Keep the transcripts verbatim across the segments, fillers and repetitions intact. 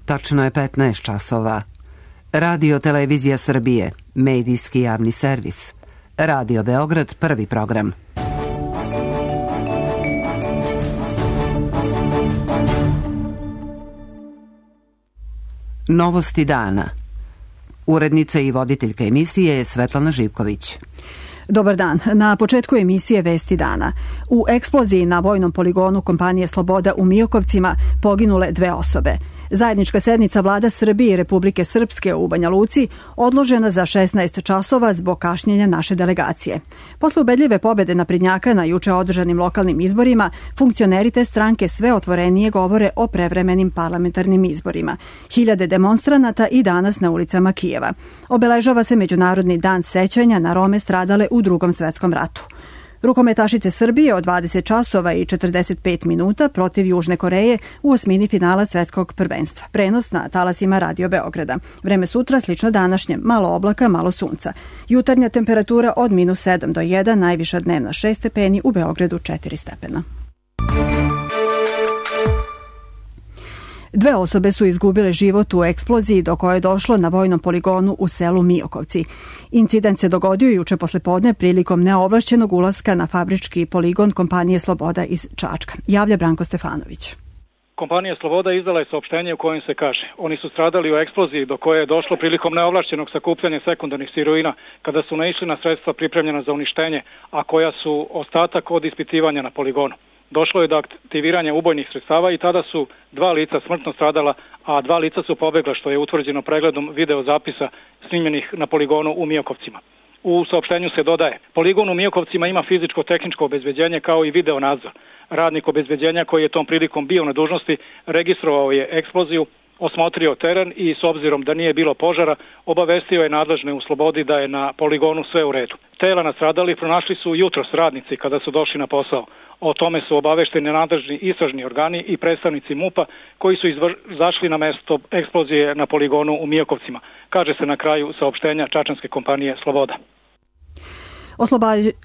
Tačno je petnaest časova. Radio Televizija Srbije, medijski javni servis. Radio Beograd, prvi program. Novosti dana. Urednica i voditeljka emisije je Svetlana Živković. Dobar dan. Na početku emisije Vesti dana. U eksploziji na vojnom poligonu kompanije Sloboda u Miokovcima poginule dve osobe. Zajednička sednica vlada Srbije i Republike Srpske u Banja Luci odložena za šesnaest časova zbog kašnjenja naše delegacije. Posle ubedljive pobede naprednjaka na juče održanim lokalnim izborima, funkcioneri te stranke sve otvorenije govore o prevremenim parlamentarnim izborima. Hiljade demonstranata i danas na ulicama Kijeva. Obeležava se Međunarodni dan sećanja na Rome stradale u Drugom svetskom ratu. Rukometašice Srbije od dvadeset časova i četrdeset pet minuta protiv Južne Koreje u osmini finala svetskog prvenstva. Prenos na talasima Radio Beograda. Vreme sutra slično današnjem, malo oblaka, malo sunca. Jutarnja temperatura od minus sedam do jedan, najviša dnevna šest stepeni, u Beogradu četiri stepena. Dve osobe su izgubile život u eksploziji do koje je došlo na vojnom poligonu u selu Miokovci. Incident se dogodio juče poslepodne prilikom neovlašćenog ulaska na fabrički poligon kompanije Sloboda iz Čačka. Javlja Branko Stefanović. Kompanija Sloboda izdala je saopštenje u kojem se kaže: oni su stradali u eksploziji do koje je došlo prilikom neovlašćenog sakupljanja sekundarnih sirovina kada su naišli na sredstva pripremljena za uništenje, a koja su ostatak od ispitivanja na poligonu. Došlo je do aktiviranja ubojnih sredstava i tada su dva lica smrtno stradala, a dva lica su pobegla, što je utvrđeno pregledom videozapisa snimljenih na poligonu u Miokovcima. U saopštenju se dodaje: poligon u Miokovcima ima fizičko-tehničko obezbeđenje kao i video nadzor. Radnik obezbeđenja koji je tom prilikom bio na dužnosti registrovao je eksploziju, osmotrio teren i s obzirom da nije bilo požara, obavestio je nadležne u Slobodi da je na poligonu sve u redu. Tela nastradalih pronašli su jutros radnici kada su došli na posao. O tome su obavešteni nadležni istražni organi i predstavnici MUP-a koji su izašli na mesto eksplozije na poligonu u Miokovcima, kaže se na kraju saopštenja čačanske kompanije Sloboda.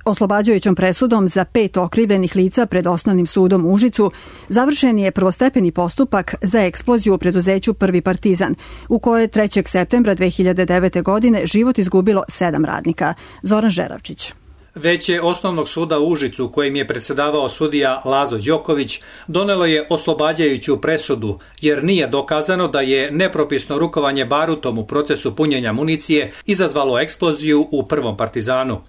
Oslobađajućom presudom za pet okrivljenih lica pred Osnovnim sudom u Užicu završen je prvostepeni postupak za eksploziju u preduzeću Prvi Partizan, u kojoj je trećeg septembra dve hiljade devete. godine život izgubilo sedam radnika. Zoran Žeravčić. Veće Osnovnog suda u Užicu, kojim je predsjedavao sudija Lazo Đoković, donelo je oslobađajuću presudu, jer nije dokazano da je nepropisno rukovanje barutom u procesu punjenja municije izazvalo eksploziju u Prvom Partizanu.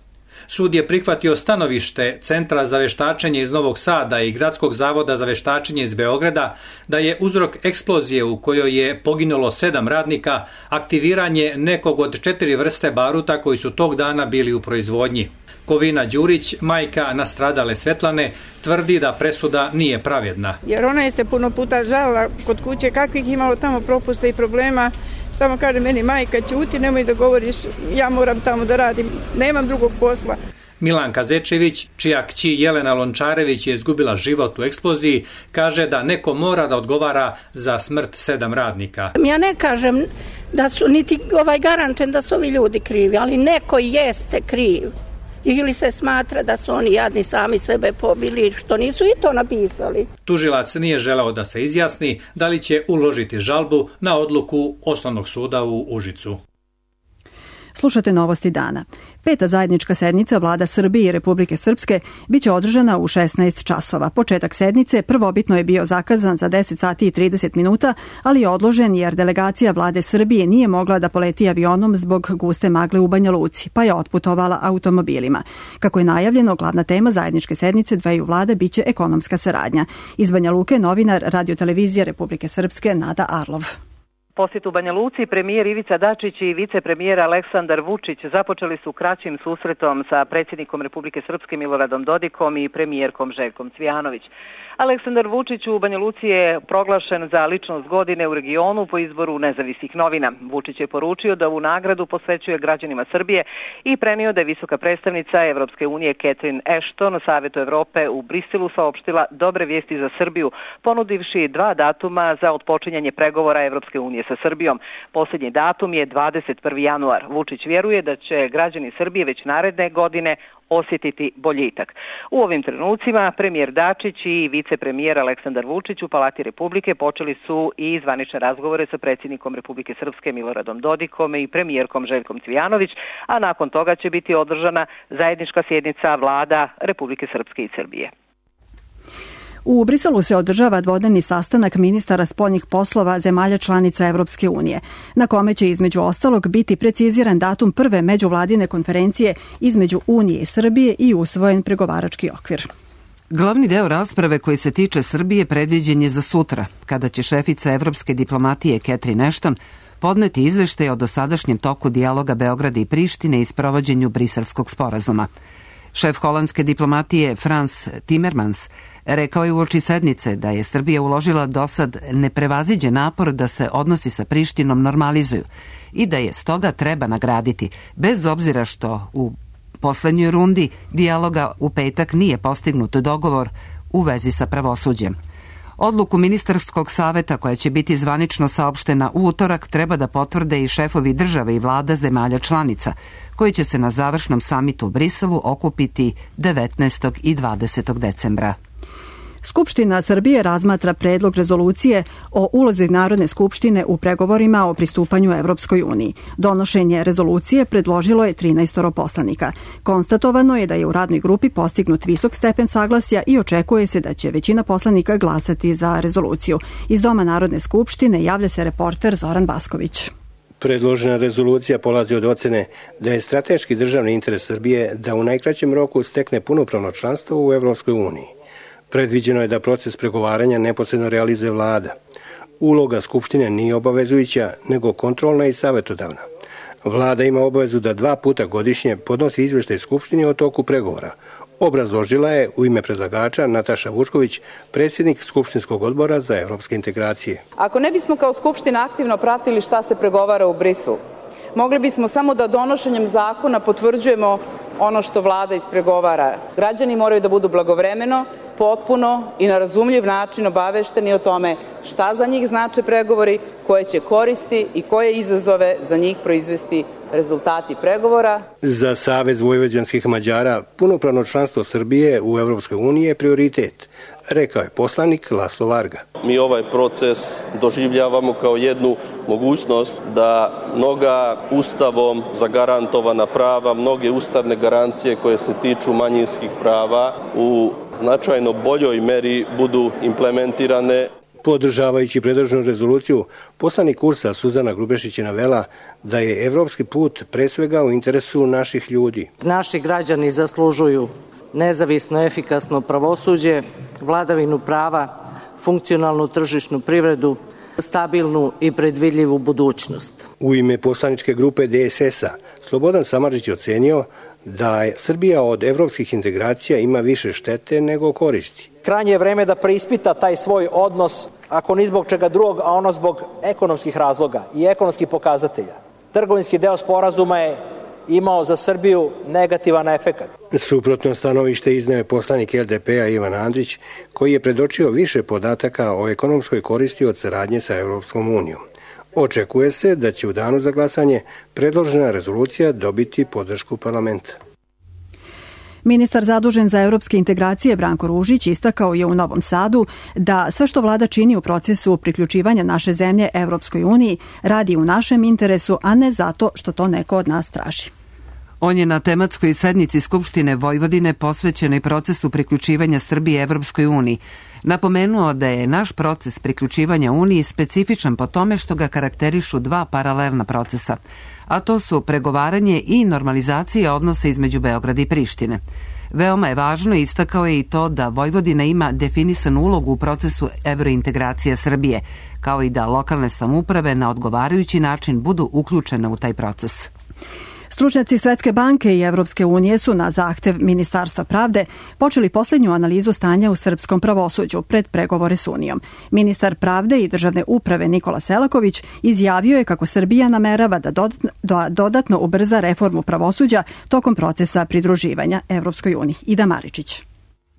Sud je prihvatio stanovište Centra za veštačenje iz Novog Sada i Gradskog zavoda za veštačenje iz Beograda da je uzrok eksplozije u kojoj je poginulo sedam radnika aktiviranje nekog od četiri vrste baruta koji su tog dana bili u proizvodnji. Kovina Đurić, majka nastradale Svetlane, tvrdi da presuda nije pravedna. Jer ona je se puno puta žalila kod kuće kakvih imalo tamo propusta i problema. Samo kaže meni: majka, ćuti, nemoj da govoriš, ja moram tamo da radim, nemam drugog posla. Milanka Zečević, čija kći Jelena Lončarević je izgubila život u eksploziji, kaže da neko mora da odgovara za smrt sedam radnika. Ja ne kažem da su, niti ovaj garantujem da su ovi ljudi krivi, ali neko jeste kriv. Ili se smatra da su oni jadni sami sebe pobili, što nisu i to napisali. Tužilac nije želeo da se izjasni da li će uložiti žalbu na odluku Osnovnog suda u Užicu. Slušate Novosti dana. Peta zajednička sednica vlada Srbije i Republike Srpske biće održana u šesnaest časova. Početak sednice prvobitno je bio zakazan za deset sati i trideset minuta, ali je odložen jer delegacija vlade Srbije nije mogla da poleti avionom zbog guste magle u Banja Luci, pa je otputovala automobilima. Kako je najavljeno, glavna tema zajedničke sednice dveju vlada biće ekonomska saradnja. Iz Banja Luke novinar Radio-televizije Republike Srpske Nada Arlov. Posjet u Banja Luci premijer Ivica Dačić i vicepremijer Aleksandar Vučić započeli su kraćim susretom sa predsjednikom Republike Srpske Miloradom Dodikom i premijerkom Željkom Cvijanović. Aleksandar Vučić u Banja Luci je proglašen za ličnost godine u regionu po izboru nezavisnih novina. Vučić je poručio da ovu nagradu posvećuje građanima Srbije i prenio da je visoka predstavnica Evropske unije Catherine Ashton Savetu Evrope u Briselu saopštila dobre vijesti za Srbiju, ponudivši dva datuma za otpočinjanje pregovora Evropske unije pregovaračke sa Srbijom. Posljednji datum je dvadeset prvi januar. Vučić vjeruje da će građani Srbije već naredne godine osjetiti boljitak. U ovim trenucima premijer Dačić i vicepremijer Aleksandar Vučić u Palati Republike počeli su i zvanične razgovore sa predsjednikom Republike Srpske Miloradom Dodikom i premijerkom Željkom Cvijanović, a nakon toga će biti održana zajednička sjednica vlada Republike Srpske i Srbije. U Briselu se održava dvodnevni sastanak ministara spoljnih poslova zemalja članica Evropske unije, na kome će između ostalog biti preciziran datum prve međuvladine konferencije između Unije i Srbije i usvojen pregovarački okvir. Glavni deo rasprave koji se tiče Srbije predviđen je za sutra, kada će šefica evropske diplomatije Catherine Ashton podneti izveštaj o dosadašnjem toku dijaloga Beograda i Prištine i sprovođenju Briselskog sporazuma. Šef holandske diplomatije Frans Timmermans rekao je uoči sednice da je Srbija uložila dosad neprevaziđen napor da se odnosi sa Prištinom normalizuju i da je stoga treba nagraditi, bez obzira što u poslednjoj rundi dijaloga u petak nije postignut dogovor u vezi sa pravosuđem. Odluku ministarskog saveta koja će biti zvanično saopštena u utorak treba da potvrde i šefovi države i vlada zemalja članica, koji će se na završnom samitu u Briselu okupiti devetnaestog i dvadesetog decembra. Skupština Srbije razmatra predlog rezolucije o ulozi Narodne skupštine u pregovorima o pristupanju Evropskoj uniji. Donošenje rezolucije predložilo je trinaest poslanika. Konstatovano je da je u radnoj grupi postignut visok stepen saglasja i očekuje se da će većina poslanika glasati za rezoluciju. Iz Doma Narodne skupštine javlja se reporter Zoran Basković. Predložena rezolucija polazi od ocene da je strateški državni interes Srbije da u najkraćem roku stekne punopravno članstvo u Evropskoj uniji. Predviđeno je da proces pregovaranja neposredno realizuje vlada. Uloga Skupštine nije obavezujuća, nego kontrolna i savjetodavna. Vlada ima obavezu da dva puta godišnje podnosi izveštaj Skupštini o toku pregovora. Obrazložila je u ime predlagača Nataša Vučković, predsjednik Skupštinskog odbora za evropske integracije. Ako ne bismo kao Skupština aktivno pratili šta se pregovara u Briselu, mogli bismo samo da donošenjem zakona potvrđujemo ono što vlada ispregovara. Građani moraju da budu blagovremeno, potpuno i na razumljiv način obavešteni o tome šta za njih znače pregovori, koje će koristi i koje izazove za njih proizvesti rezultati pregovora. Za Savez vojvođanskih Mađara punopravno članstvo Srbije u Evropskoj uniji je prioritet, rekao je poslanik Laslo Varga. Mi ovaj proces doživljavamo kao jednu mogućnost da mnoga ustavom zagarantovana prava, mnoge ustavne garancije koje se tiču manjinskih prava u značajno boljoj meri budu implementirane. Podržavajući predloženu rezoluciju, poslanik Kursa Suzana Grubešić je navela da je evropski put pre svega u interesu naših ljudi. Naši građani zaslužuju nezavisno, efikasno pravosuđe, vladavinu prava, funkcionalnu tržišnu privredu, stabilnu i predvidljivu budućnost. U ime poslaničke grupe D S S-a Slobodan Samardžić ocenio da je Srbija od evropskih integracija ima više štete nego koristi. Krajnje je vreme da preispita taj svoj odnos, ako ni zbog čega drugog, a ono zbog ekonomskih razloga i ekonomskih pokazatelja. Trgovinski deo sporazuma je imao za Srbiju negativan efekat. Suprotno stanovište izneo je poslanik L D P-a Ivan Andrić, koji je predočio više podataka o ekonomskoj koristi od saradnje sa Evropskom unijom. Očekuje se da će u danu za glasanje predložena rezolucija dobiti podršku parlamenta. Ministar zadužen za evropske integracije Branko Ružić istakao je u Novom Sadu da sve što vlada čini u procesu priključivanja naše zemlje Evropskoj uniji radi u našem interesu, a ne zato što to neko od nas traži. On je na tematskoj sednici Skupštine Vojvodine posvećenoj procesu priključivanja Srbije Evropskoj uniji napomenuo da je naš proces priključivanja Uniji specifičan po tome što ga karakterišu dva paralelna procesa, a to su pregovaranje i normalizacija odnosa između Beograda i Prištine. Veoma je važno, istakao je i to da Vojvodina ima definisanu ulogu u procesu evrointegracije Srbije, kao i da lokalne samouprave na odgovarajući način budu uključene u taj proces. Stručnjaci Svetske banke i Evropske unije su na zahtev Ministarstva pravde počeli posljednju analizu stanja u srpskom pravosuđu pred pregovore s Unijom. Ministar pravde i državne uprave Nikola Selaković izjavio je kako Srbija namerava da dodatno, da dodatno ubrza reformu pravosuđa tokom procesa pridruživanja Evropskoj uniji. Ida Maričić.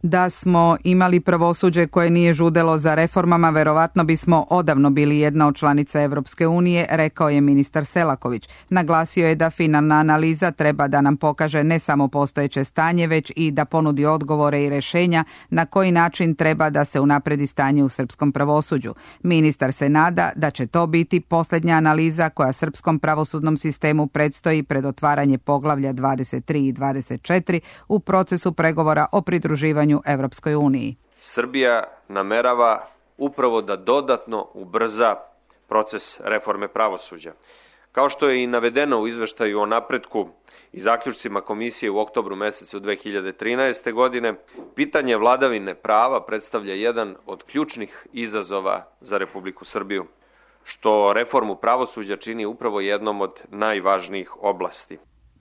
Da smo imali pravosuđe koje nije žudelo za reformama, verovatno bismo odavno bili jedna od članica Evropske unije, rekao je ministar Selaković. Naglasio je da finalna analiza treba da nam pokaže ne samo postojeće stanje, već i da ponudi odgovore i rešenja na koji način treba da se unapredi stanje u srpskom pravosuđu. Ministar se nada da će to biti posljednja analiza koja srpskom pravosudnom sistemu predstoji pred otvaranje poglavlja dvadeset tri i dvadeset četiri u procesu pregovora o pridruživanju Evropskoj uniji. Srbija namerava upravo da dodatno ubrza proces reforme pravosuđa. Kao što je i navedeno u izveštaju o napretku i zaključcima komisije u oktobru mesecu dve hiljade trinaeste. godine, pitanje vladavine prava predstavlja jedan od ključnih izazova za Republiku Srbiju, što reformu pravosuđa čini upravo jednom od najvažnijih oblasti.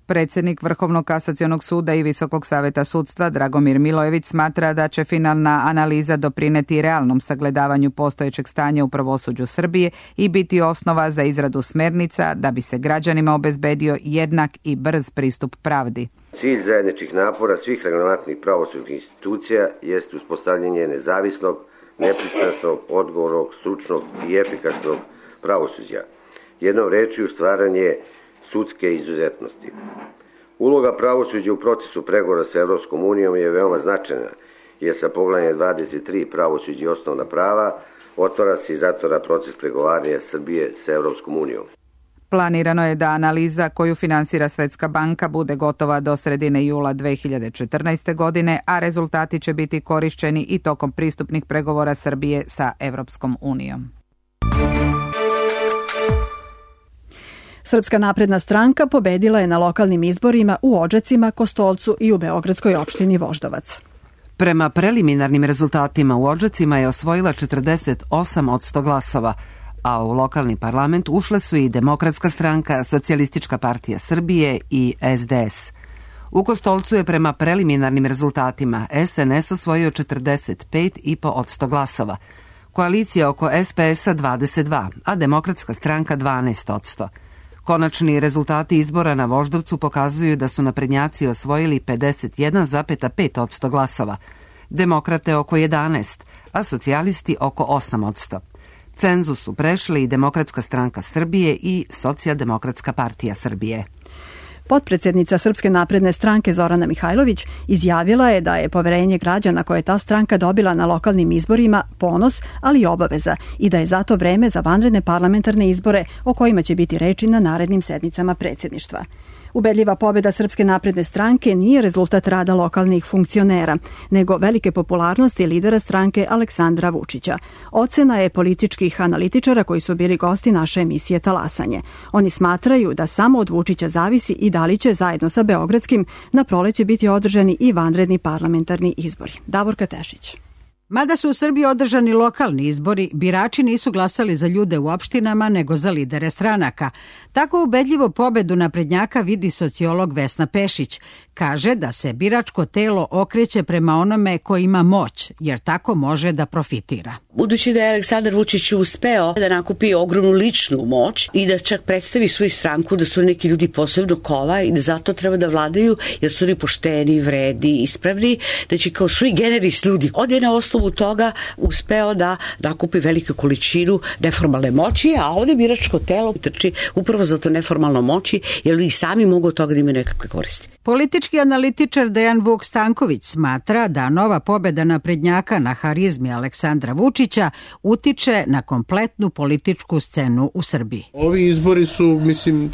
Predsjednik Vrhovnog kasacionog suda i Visokog saveta sudstva Dragomir Milojević smatra da će finalna analiza doprineti realnom sagledavanju postojećeg stanja u pravosuđu Srbije i biti osnova za izradu smernica da bi se građanima obezbedio jednak i brz pristup pravdi. Cilj zajedničkih napora svih relevantnih pravosudnih institucija jest uspostavljanje nezavisnog, nepristrasnog, odgovornog, stručnog i efikasnog pravosuđa. Jednom rečju stvaranje sudske izuzetnosti. Uloga pravosuđa u procesu pregovora sa Evropskom unijom je veoma značajna, jer sa poglavljem dvadeset tri pravosuđe i osnovna prava otvara se i zatvara proces pregovaranja Srbije sa Evropskom unijom. Planirano je da analiza koju finansira Svetska banka bude gotova do sredine jula dve hiljade četrnaeste. godine, a rezultati će biti korišćeni i tokom pristupnih pregovora Srbije sa Evropskom unijom. Srpska napredna stranka pobedila je na lokalnim izborima u Odžacima, Kostolcu i u beogradskoj opštini Voždovac. Prema preliminarnim rezultatima u Odžacima je osvojila četrdeset osam posto glasova, a u lokalni parlament ušle su i Demokratska stranka, Socijalistička partija Srbije i es de es. U Kostolcu je prema preliminarnim rezultatima es en es osvojio četrdeset pet zarez pet posto glasova, koalicija oko es pe es-a dvadeset dva, a Demokratska stranka dvanaest posto. Konačni rezultati izbora na Voždovcu pokazuju da su naprednjaci osvojili pedeset jedan zarez pet posto glasova, demokrate oko jedanaest, a socijalisti oko osam posto. Cenzus su prešli i Demokratska stranka Srbije i Socijaldemokratska partija Srbije. Potpredsjednica Srpske napredne stranke Zorana Mihajlović izjavila je da je poverenje građana koje je ta stranka dobila na lokalnim izborima ponos, ali i obaveza i da je zato vreme za vanredne parlamentarne izbore o kojima će biti reči na narednim sednicama predsjedništva. Ubedljiva pobjeda Srpske napredne stranke nije rezultat rada lokalnih funkcionera, nego velike popularnosti lidera stranke Aleksandra Vučića. Ocena je političkih analitičara koji su bili gosti naše emisije Talasanje. Oni smatraju da samo od Vučića zavisi i da li će zajedno sa Beogradskim na proleće biti održani i vanredni parlamentarni izbori. Davorka Tešić. Mada su u Srbiji održani lokalni izbori, birači nisu glasali za ljude u opštinama, nego za lidere stranaka. Tako ubedljivo pobedu naprednjaka vidi sociolog Vesna Pešić. Kaže da se biračko telo okreće prema onome ko ima moć, jer tako može da profitira. Budući da je Aleksandar Vučić uspeo da nakupi ogromnu ličnu moć i da čak predstavi svoju stranku da su neki ljudi posebno kova i da zato treba da vladaju, jer su oni pošteni, vredi, ispravni, znači kao sui generis ljudi. On je na osnovu toga uspeo da nakupi veliku količinu neformalne moći, a ovdje biračko telo trči upravo za to neformalno moći, jer i sami mogu od toga da imaju nekakve koristi. Politički analitičar Dejan Vuk Stanković smatra da nova pobjeda naprednjaka na harizmi Aleksandra Vučića utiče na kompletnu političku scenu u Srbiji. Ovi izbori su, mislim,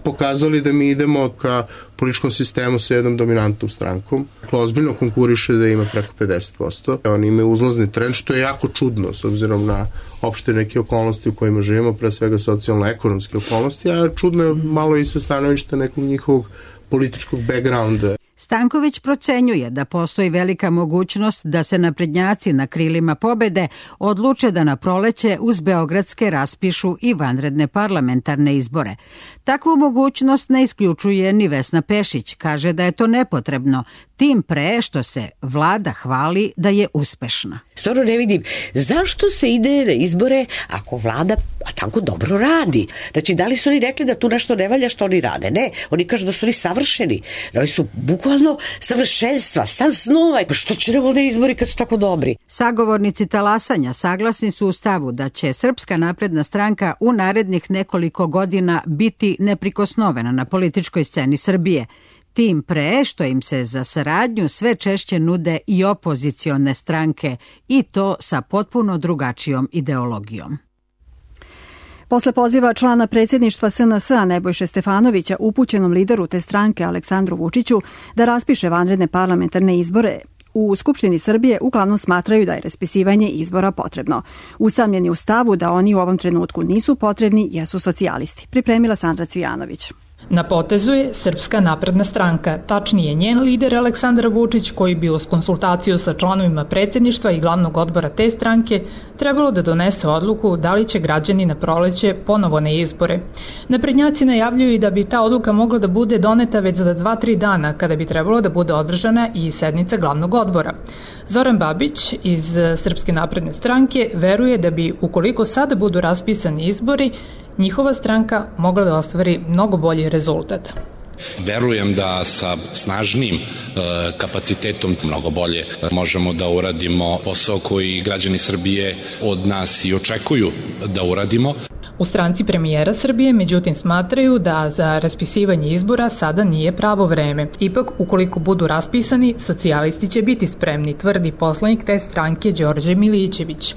pokazali da mi idemo ka političkom sistemu sa jednom dominantnom strankom. Ozbiljno konkuriše da ima preko pedeset posto. Oni imaju uzlazni trend, što je jako čudno s obzirom na opšte neke okolnosti u kojima živimo, pre svega socijalno-ekonomske okolnosti, a čudno je malo i sa stanovišta nekog njihovog političkog backgrounda. Stanković procenjuje da postoji velika mogućnost da se naprednjaci na krilima pobede odluče da na proleće uz beogradske raspišu i vanredne parlamentarne izbore. Takvu mogućnost ne isključuje ni Vesna Pešić, kaže da je to nepotrebno, tim pre što se vlada hvali da je uspešna. Stvarno ne vidim zašto se ide na izbore ako vlada, a tako dobro radi. Znači, da li su oni rekli da tu nešto ne valja što oni rade? Ne, oni kažu da su oni savršeni. Oni su bukvalno savršenstva, stan snova. Pa što će nam oni izbori kad su tako dobri? Sagovornici talasanja saglasni su u stavu da će Srpska napredna stranka u narednih nekoliko godina biti neprikosnovena na političkoj sceni Srbije. Tim pre što im se za saradnju sve češće nude i opozicione stranke i to sa potpuno drugačijom ideologijom. Posle poziva člana predsjedništva S N S-a Nebojše Stefanovića upućenom lideru te stranke Aleksandru Vučiću da raspiše vanredne parlamentarne izbore, u Skupštini Srbije uglavnom smatraju da je raspisivanje izbora potrebno. Usamljeni u stavu da oni u ovom trenutku nisu potrebni jesu socijalisti. Pripremila Sandra Cvijanović. Na potezu je Srpska napredna stranka, tačnije njen lider Aleksandar Vučić, koji bi uz konsultaciju sa članovima predsjedništva i glavnog odbora te stranke trebalo da donese odluku da li će građani na proleće ponovo na izbore. Naprednjaci najavljuju i da bi ta odluka mogla da bude doneta već za dva tri dana, kada bi trebalo da bude održana i sednica glavnog odbora. Zoran Babić iz Srpske napredne stranke veruje da bi, ukoliko sada budu raspisani izbori, njihova stranka mogla da ostvari mnogo bolji rezultat. Verujem da sa snažnim e, kapacitetom mnogo bolje možemo da uradimo posao koji građani Srbije od nas i očekuju da uradimo. U stranci premijera Srbije, međutim, smatraju da za raspisivanje izbora sada nije pravo vreme. Ipak, ukoliko budu raspisani, socijalisti će biti spremni, tvrdi poslanik te stranke Đorđe Milićević.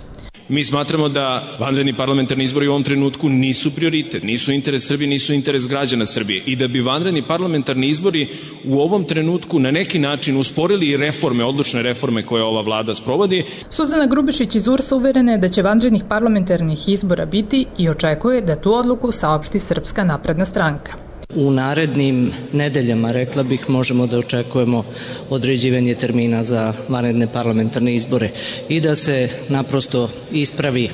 Mi smatramo da vanredni parlamentarni izbori u ovom trenutku nisu prioritet, nisu interes Srbije, nisu interes građana Srbije i da bi vanredni parlamentarni izbori u ovom trenutku na neki način usporili i reforme, odlučne reforme koje ova vlada sprovodi. Suzana Grubišić iz U R S-a uverena je da će vanrednih parlamentarnih izbora biti i očekuje da tu odluku saopšti Srpska napredna stranka. U narednim nedeljama, rekla bih, možemo da očekujemo određivanje termina za vanredne parlamentarne izbore i da se naprosto ispravi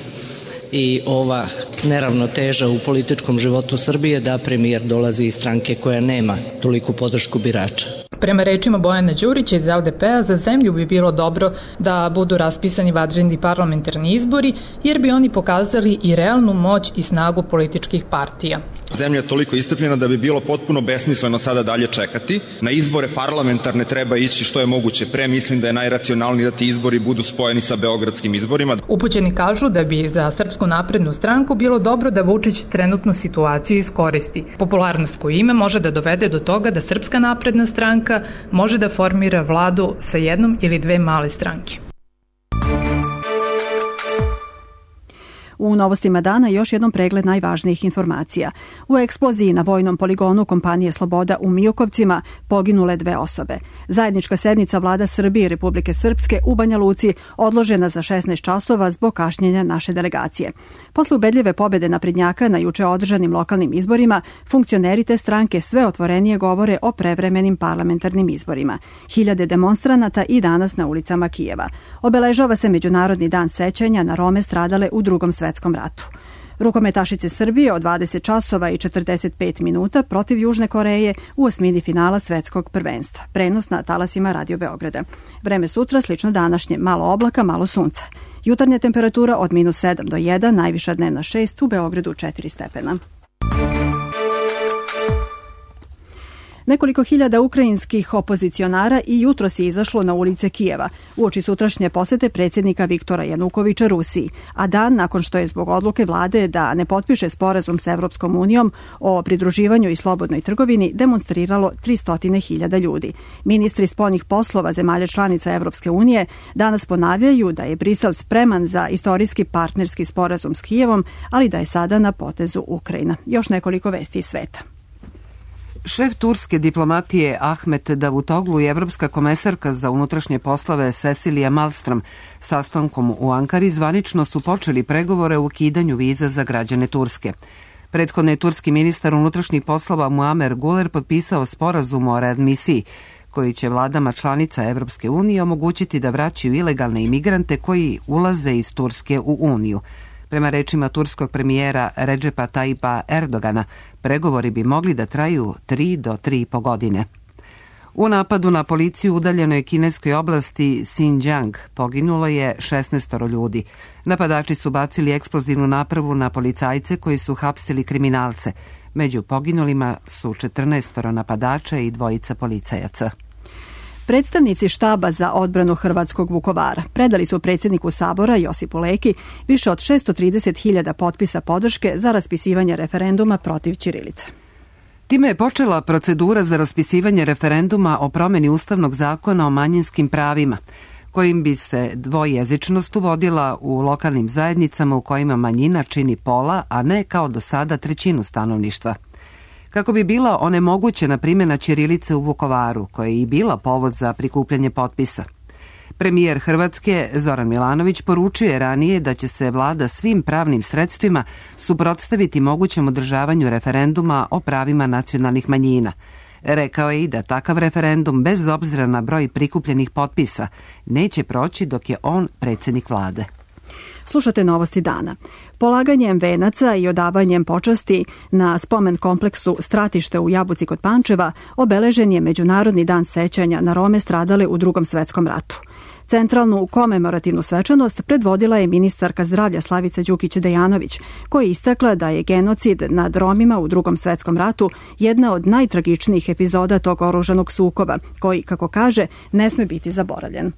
i ova neravnoteža u političkom životu Srbije, da premijer dolazi iz stranke koja nema toliku podršku birača. Prema rečima Bojana Đurića iz L D P-a, za zemlju bi bilo dobro da budu raspisani vanredni parlamentarni izbori, jer bi oni pokazali i realnu moć i snagu političkih partija. Zemlja je toliko istrpljena da bi bilo potpuno besmisleno sada dalje čekati. Na izbore parlamentarne treba ići što je moguće pre. Mislim da je najracionalnije da ti izbori budu spojeni sa beogradskim izborima. Upućeni kažu da bi za Srpsku naprednu stranku bilo dobro da Vučić trenutnu situaciju iskoristi. Popularnost koju ima može da dovede do toga da Srpska napredna stranka može da formira vladu sa jednom ili dve male stranke. U novostima dana još jednom pregled najvažnijih informacija. U eksploziji na vojnom poligonu kompanije Sloboda u Mijokovcima poginule dve osobe. Zajednička sednica vlada Srbije i Republike Srpske u Banja Luci odložena za šesnaest časova zbog kašnjenja naše delegacije. Posle ubedljive pobede naprednjaka na juče održanim lokalnim izborima, funkcioneri te stranke sve otvorenije govore o prevremenim parlamentarnim izborima. Hiljade demonstranata i danas na ulicama Kijeva. Obeležava se Međunarodni dan sećanja na Rome stradale u Drugom svetskom ratu. Rukometašice Srbije od dvadeset časova i četrdeset pet minuta protiv Južne Koreje u osmini finala svetskog prvenstva. Prenos na talasima Radio Beograda. Vreme sutra slično današnje, malo oblaka, malo sunca. Jutarnja temperatura od minus sedam do jedan, najviša dnevna šest, u Beogradu četiri stepena. Nekoliko hiljada ukrajinskih opozicionara i jutros je izašlo na ulice Kijeva uoči sutrašnje posete predsjednika Viktora Janukovića Rusiji, a dan nakon što je zbog odluke vlade da ne potpiše sporazum sa Evropskom unijom o pridruživanju i slobodnoj trgovini demonstriralo tristo hiljada ljudi. Ministri spoljnih poslova zemalja članica Evropske unije danas ponavljaju da je Brisel spreman za istorijski partnerski sporazum s Kijevom, ali da je sada na potezu Ukrajina. Još nekoliko vesti iz sveta. Šef turske diplomatije Ahmet Davutoglu i evropska komesarka za unutrašnje poslove Cecilija Malmström sastankom u Ankari zvanično su počeli pregovore o ukidanju viza za građane Turske. Prethodno je turski ministar unutrašnjih poslova Muamer Guler potpisao sporazum o readmisiji, koji će vladama članica Evropske unije omogućiti da vraćaju ilegalne imigrante koji ulaze iz Turske u Uniju. Prema rečima turskog premijera Redžepa Tajipa Erdogana, pregovori bi mogli da traju tri do tri i po godine. U napadu na policiju u udaljenoj kineskoj oblasti Xinjiang poginulo je šesnaest ljudi. Napadači su bacili eksplozivnu napravu na policajce koji su hapsili kriminalce. Među poginulima su četrnaest napadača i dvojica policajaca. Predstavnici štaba za odbranu hrvatskog Vukovara predali su predsjedniku Sabora Josipu Leki više od šessto trideset hiljada potpisa podrške za raspisivanje referenduma protiv ćirilice. Time je počela procedura za raspisivanje referenduma o promjeni Ustavnog zakona o manjinskim pravima, kojim bi se dvojezičnost uvodila u lokalnim zajednicama u kojima manjina čini pola, a ne kao do sada trećinu stanovništva. Kako bi bila onemogućena primjena ćirilice u Vukovaru, koja je i bila povod za prikupljanje potpisa. Premijer Hrvatske Zoran Milanović poručio je ranije da će se vlada svim pravnim sredstvima suprotstaviti mogućem održavanju referenduma o pravima nacionalnih manjina. Rekao je i da takav referendum, bez obzira na broj prikupljenih potpisa, neće proći dok je on predsjednik vlade. Slušate Novosti dana. Polaganjem venaca i odavanjem počasti na spomen kompleksu Stratište u Jabuci kod Pančeva obeležen je Međunarodni dan sećanja na Rome stradale u Drugom svetskom ratu. Centralnu komemorativnu svečanost predvodila je ministarka zdravlja Slavica Đukić-Dejanović, koja je istakla da je genocid nad Romima u Drugom svetskom ratu jedna od najtragičnijih epizoda tog oružanog sukoba, koji, kako kaže, ne sme biti zaboravljen.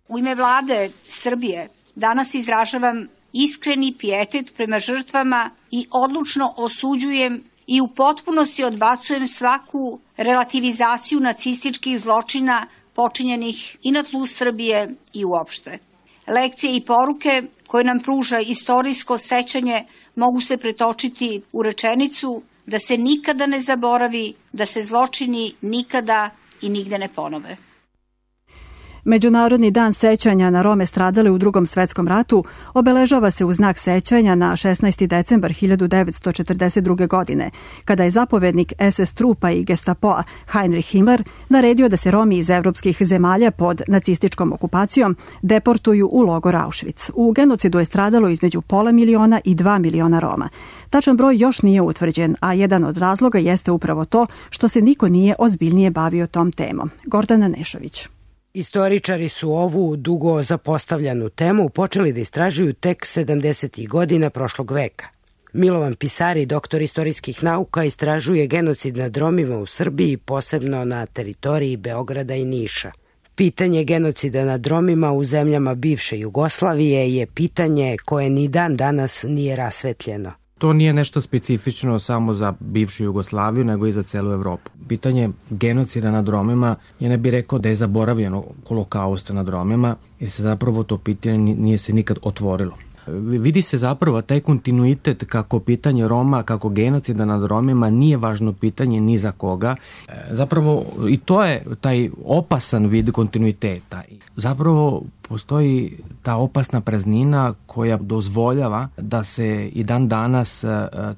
U ime vlade Srbije danas izražavam iskreni pijetet prema žrtvama i odlučno osuđujem i u potpunosti odbacujem svaku relativizaciju nacističkih zločina počinjenih i na tlu Srbije i uopšte. Lekcije i poruke koje nam pruža istorijsko sećanje mogu se pretočiti u rečenicu da se nikada ne zaboravi, da se zločini nikada i nigde ne ponove. Međunarodni dan sećanja na Rome stradale u Drugom svetskom ratu obeležava se u znak sećanja na šesnaesti decembar hiljadu devetsto četrdeset druge. godine, kada je zapovednik es es trupa i Gestapoa Heinrich Himmler naredio da se Romi iz evropskih zemalja pod nacističkom okupacijom deportuju u logor Auschwitz. U genocidu je stradalo između pola miliona i dva miliona Roma. Tačan broj još nije utvrđen, a jedan od razloga jeste upravo to što se niko nije ozbiljnije bavio tom temom. Gordana Nešović. Istoričari su ovu dugo zapostavljanu temu počeli da istražuju tek sedamdesetih godina prošlog veka. Milovan Pisari, doktor istorijskih nauka, istražuje genocid nad Romima u Srbiji, posebno na teritoriji Beograda i Niša. Pitanje genocida nad Romima u zemljama bivše Jugoslavije je pitanje koje ni dan danas nije rasvetljeno. To nije nešto specifično samo za bivšu Jugoslaviju, nego i za celu Evropu. Pitanje genocida nad Romima, ja ne bih rekao da je zaboravljeno holokausta nad Romima, jer se zapravo to pitanje nije se nikad otvorilo. Vidi se zapravo taj kontinuitet kako pitanje Roma, kako genocida nad Romima nije važno pitanje ni za koga. Zapravo i to je taj opasan vid kontinuiteta. Zapravo postoji ta opasna praznina koja dozvoljava da se i dan danas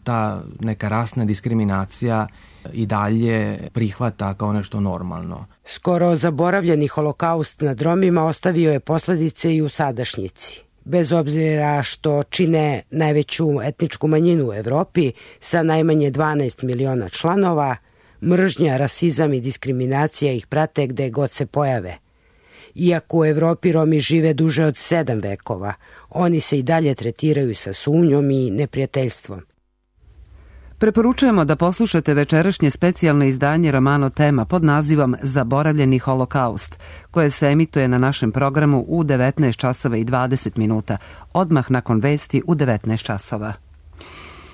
ta neka rasna diskriminacija i dalje prihvata kao nešto normalno. Skoro zaboravljeni holokaust nad Romima ostavio je posledice i u sadašnjici. Bez obzira što čine najveću etničku manjinu u Evropi sa najmanje dvanaest miliona članova, mržnja, rasizam i diskriminacija ih prate gde god se pojave. Iako u Evropi Romi žive duže od sedam vekova, oni se i dalje tretiraju sa sumnjom i neprijateljstvom. Preporučujemo da poslušate večerašnje specijalno izdanje Romano Tema pod nazivom Zaboravljeni holokaust, koje se emituje na našem programu u devetnaest časova i dvadeset minuta, odmah nakon vesti u devetnaest časova.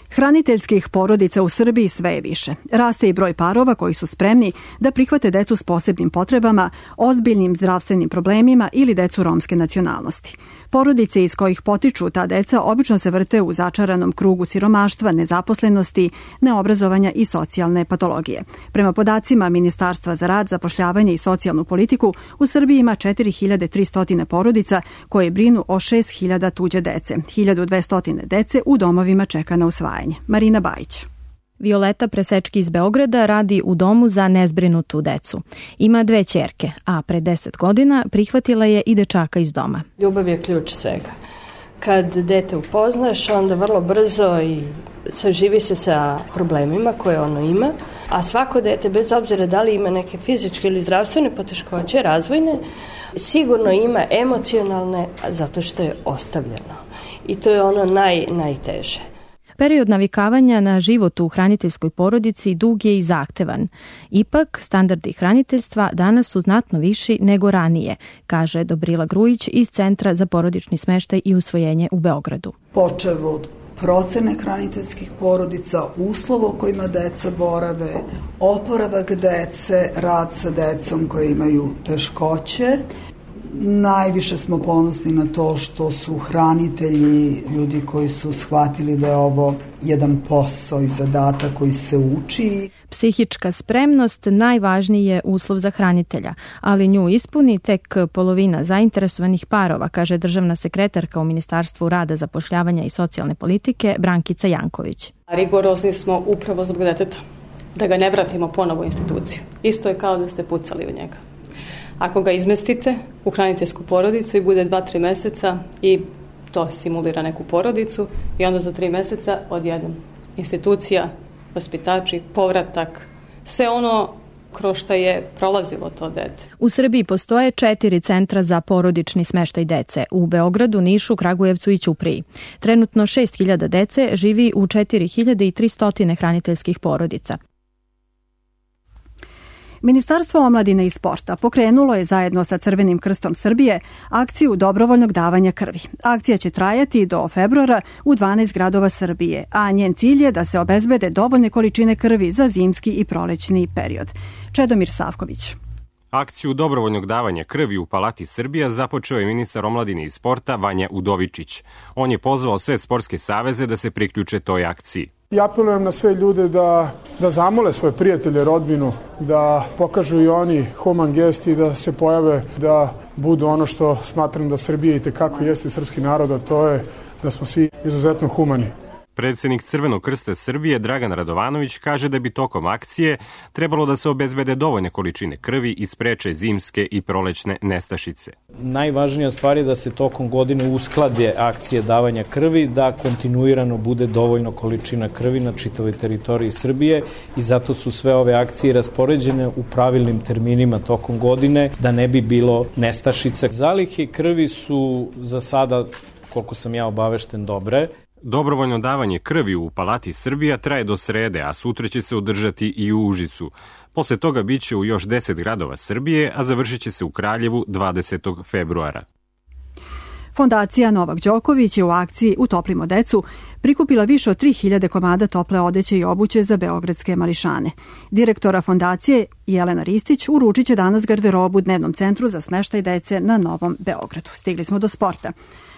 Hraniteljskih porodica u Srbiji sve je više. Raste i broj parova koji su spremni da prihvate decu s posebnim potrebama, ozbiljnim zdravstvenim problemima ili decu romske nacionalnosti. Porodice iz kojih potiču ta deca obično se vrte u začaranom krugu siromaštva, nezaposlenosti, neobrazovanja i socijalne patologije. Prema podacima Ministarstva za rad, zapošljavanje i socijalnu politiku, u Srbiji ima četiri hiljade tristo porodica koje brinu o šest hiljada tuđe dece. hiljadu dvesta dece u domovima čeka na usvajanje. Marina Bajić. Violeta Presečki iz Beograda radi u domu za nezbrinutu decu. Ima dve ćerke, a pre deset godina prihvatila je i dečaka iz doma. Ljubav je ključ svega. Kad dete upoznaš, onda vrlo brzo i saživi se sa problemima koje ono ima, a svako dete, bez obzira da li ima neke fizičke ili zdravstvene poteškoće, razvojne, sigurno ima emocionalne, zato što je ostavljeno. I to je ono naj, najteže. Period navikavanja na život u hraniteljskoj porodici dug je i zahtevan. Ipak, standardi hraniteljstva danas su znatno viši nego ranije, kaže Dobrila Grujić iz Centra za porodični smeštaj i usvojenje u Beogradu. Počev od procene hraniteljskih porodica, uslova u kojima deca borave, oporavak dece, rad sa decom koji imaju teškoće. Najviše smo ponosni na to što su hranitelji ljudi koji su shvatili da je ovo jedan posao i zadatak koji se uči. Psihička spremnost najvažniji je uslov za hranitelja, ali nju ispuni tek polovina zainteresovanih parova, kaže državna sekretarka u Ministarstvu rada, zapošljavanja i socijalne politike Brankica Janković. Rigorozni smo upravo zbog deteta, da ga ne vratimo ponovo u instituciju. Isto je kao da ste pucali u njega. Ako ga izmestite u hraniteljsku porodicu i bude dva, tri meseca i to simulira neku porodicu i onda za tri meseca odjednom institucija, vaspitači, povratak, sve ono kroz što je prolazilo to dete. U Srbiji postoje četiri centra za porodični smeštaj dece. U Beogradu, Nišu, Kragujevcu i Ćupriji. Trenutno šest hiljada dece živi u četiri hiljade tristo hraniteljskih porodica. Ministarstvo omladine i sporta pokrenulo je zajedno sa Crvenim krstom Srbije akciju dobrovoljnog davanja krvi. Akcija će trajati do februara u dvanaest gradova Srbije, a njen cilj je da se obezbede dovoljne količine krvi za zimski i prolećni period. Čedomir Savković. Akciju dobrovoljnog davanja krvi u Palati Srbija započeo je ministar omladine i sporta Vanja Udovičić. On je pozvao sve sportske saveze da se priključe toj akciji. I apelujem na sve ljude da, da zamole svoje prijatelje, rodbinu, da pokažu i oni human gest i da se pojave, da budu ono što smatram da Srbija i tekako jeste srpski narod, a to je da smo svi izuzetno humani. Predsednik Crvenog krsta Srbije Dragan Radovanović kaže da bi tokom akcije trebalo da se obezbede dovoljne količine krvi i spreče zimske i prolećne nestašice. Najvažnija stvar je da se tokom godine usklade akcije davanja krvi, da kontinuirano bude dovoljno količina krvi na čitavoj teritoriji Srbije i zato su sve ove akcije raspoređene u pravilnim terminima tokom godine da ne bi bilo nestašica. Zalihe krvi su za sada, koliko sam ja obavešten, dobre. Dobrovoljno davanje krvi u Palati Srbija traje do srede, a sutra će se održati i u Užicu. Posle toga biće u još deset gradova Srbije, a završit će se u Kraljevu dvadesetog februara. Fondacija Novak Đoković je u akciji Utoplimo decu prikupila više od tri hiljade komada tople odeće i obuće za beogradske mališane. Direktora fondacije Jelena Ristić uručit će danas garderobu Dnevnom centru za smeštaj dece na Novom Beogradu. Stigli smo do sporta.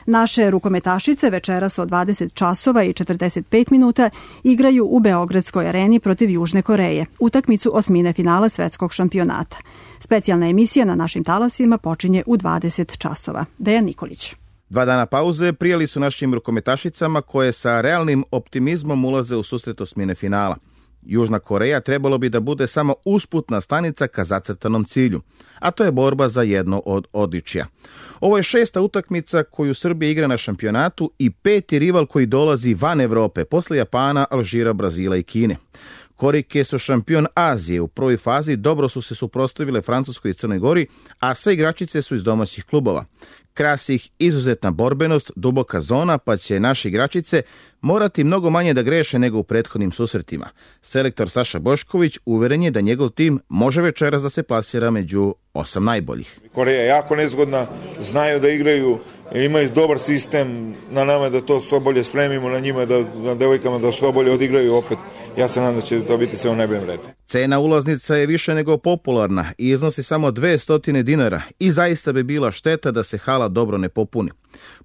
Naše rukometašice večeras od dvadeset časova i četrdeset pet minuta igraju u Beogradskoj areni protiv Južne Koreje, utakmicu osmine finala svetskog šampionata. Specijalna emisija na našim talasima počinje u dvadeset časova. Dejan Nikolić. Dva dana pauze prijeli su našim rukometašicama koje sa realnim optimizmom ulaze u susret osmine finala. Južna Koreja trebalo bi da bude samo usputna stanica ka zacrtanom cilju, a to je borba za jedno od odličja. Ovo je šesta utakmica koju Srbija igra na šampionatu i peti rival koji dolazi van Evrope, posle Japana, Alžira, Brazila i Kine. Korejke su šampion Azije. U prvoj fazi dobro su se suprotstavile Francuskoj i Crnoj Gori, a sve igračice su iz domaćih klubova. Krasi ih izuzetna borbenost, duboka zona, pa će naše igračice morati mnogo manje da greše nego u prethodnim susretima. Selektor Saša Bošković uveren je da njegov tim može večeras da se plasira među osam najboljih. Koreja je jako nezgodna, znaju da igraju, imaju dobar sistem, na nama da to što bolje spremimo, na njima, da, na devojkama da što bolje odigraju opet. Ja se nadam da će to biti sve u najboljem redu. Cena ulaznica je više nego popularna i iznosi samo dvesta dinara i zaista bi bila šteta da se hala dobro ne popuni.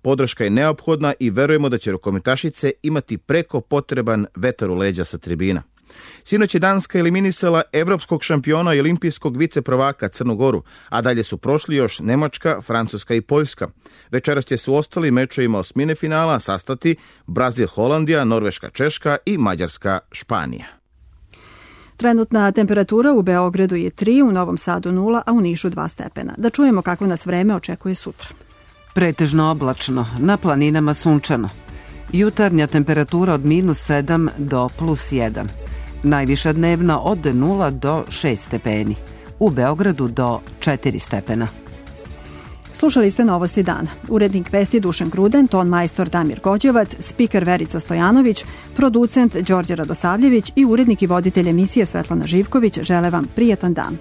Podrška je neophodna i verujemo da će rukometašice imati preko potreban vetar u leđa sa tribina. Sinoć je Danska eliminisala evropskog šampiona i olimpijskog viceprvaka Crnu Goru, a dalje su prošli još Nemačka, Francuska i Poljska. Večeras će se u ostalim mečevima osmine finala sastati Brazil, Holandija, Norveška, Češka i Mađarska, Španija. Trenutna temperatura u Beogradu je tri, u Novom Sadu nula, a u Nišu dva stepena. Da čujemo kako nas vreme očekuje sutra. Pretežno oblačno, na planinama sunčano. Jutarnja temperatura od minus sedam do plus jedan. Najviša dnevna od nula do šest stepeni. U Beogradu do četiri stepena. Slušali ste Novosti dana. Urednik vesti Dušan Gruden, ton majstor Damir Gođevac, spiker Verica Stojanović, producent Đorđe Radosavljević i urednik i voditelj emisije Svetlana Živković žele vam prijetan dan.